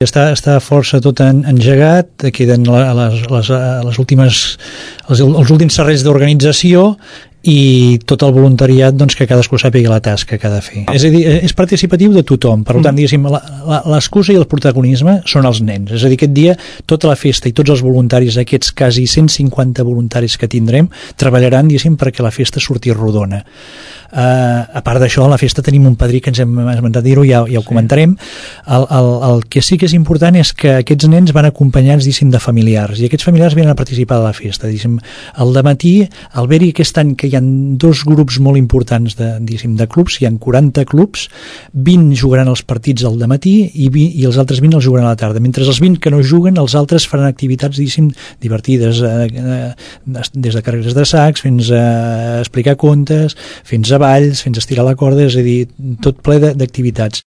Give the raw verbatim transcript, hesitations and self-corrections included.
Està, està força tot en, engegat, queden les, les, les últimes, els, els últims serrells d'organització i tot el voluntariat, doncs, que cadascú sàpiga la tasca que ha de fer. És a dir, és participatiu de tothom, per tant, diguéssim, l'excusa i el protagonisme són els nens. És a dir, aquest dia, tota la festa i tots els voluntaris, aquests quasi cent cinquanta voluntaris que tindrem, treballaran, diguéssim, perquè la festa surti rodona. Uh, a part d'això, a la festa tenim un padrí que ens hem esmentat dir-ho, ja, ja ho comentarem. El, el, el que sí que és important és que aquests nens van acompanyats, diguéssim, de familiars, i aquests familiars venen a participar de la festa. Diguéssim, el dematí, al haver-hi aquest any que hi ha dos grups molt importants de, diguéssim, de clubs, hi ha quaranta clubs, vint jugaran els partits al dematí i, vint, i els altres vint els jugaran a la tarda. Mentre els vint que no juguen, els altres faran activitats, diguéssim, divertides, eh, eh, des de carreres de sacs fins a explicar contes, fins a balls, fins a estirar la corda, és a dir, tot ple d'activitats.